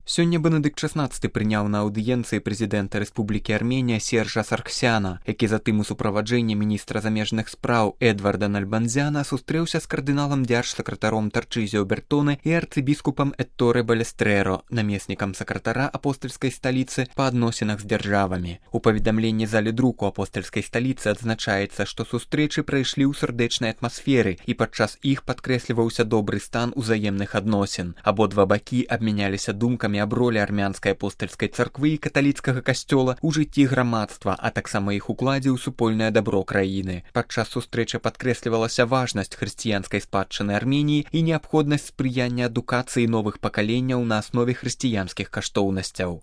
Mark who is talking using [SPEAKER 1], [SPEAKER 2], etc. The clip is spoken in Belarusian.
[SPEAKER 1] Сёння Бенедыкт XVI прыняў на аўдыенцыі прэзідэнта Рэспублікі Арменія Сержа Сарксяна, які затым у суправаджэнні міністра замежных спраў Эдварда Нальбанзяна сустрэўся з кардыналам дзяржсакратаром Тарчызіо Бертоне і арцыбіскупам Этторе Балестрэро, намеснікам сакратара апостальскай сталіцы па адносінах з дзяржавамі. У паведамленні залі друку апостальскай сталіцы адзначаецца, што сустрэчы прайшлі ў сардэчнай атмасферы і падчас іх падкрэсліваўся добры стан узаемных адносін. Абодва бакі абмяняліся думкамі аб ролі армянскай апостальскай царквы і каталіцкага касцёла ў жыцці грамадства, а таксама іх укладзе ў супольнае дабро краіны. Падчас сустрэчы падкрэслівалася важнасць хрысціянскай спадчыны Арменіі і неабходнасць спрыяння адукацыі новых пакаленняў на аснове хрысціянскіх каштоўнасцяў.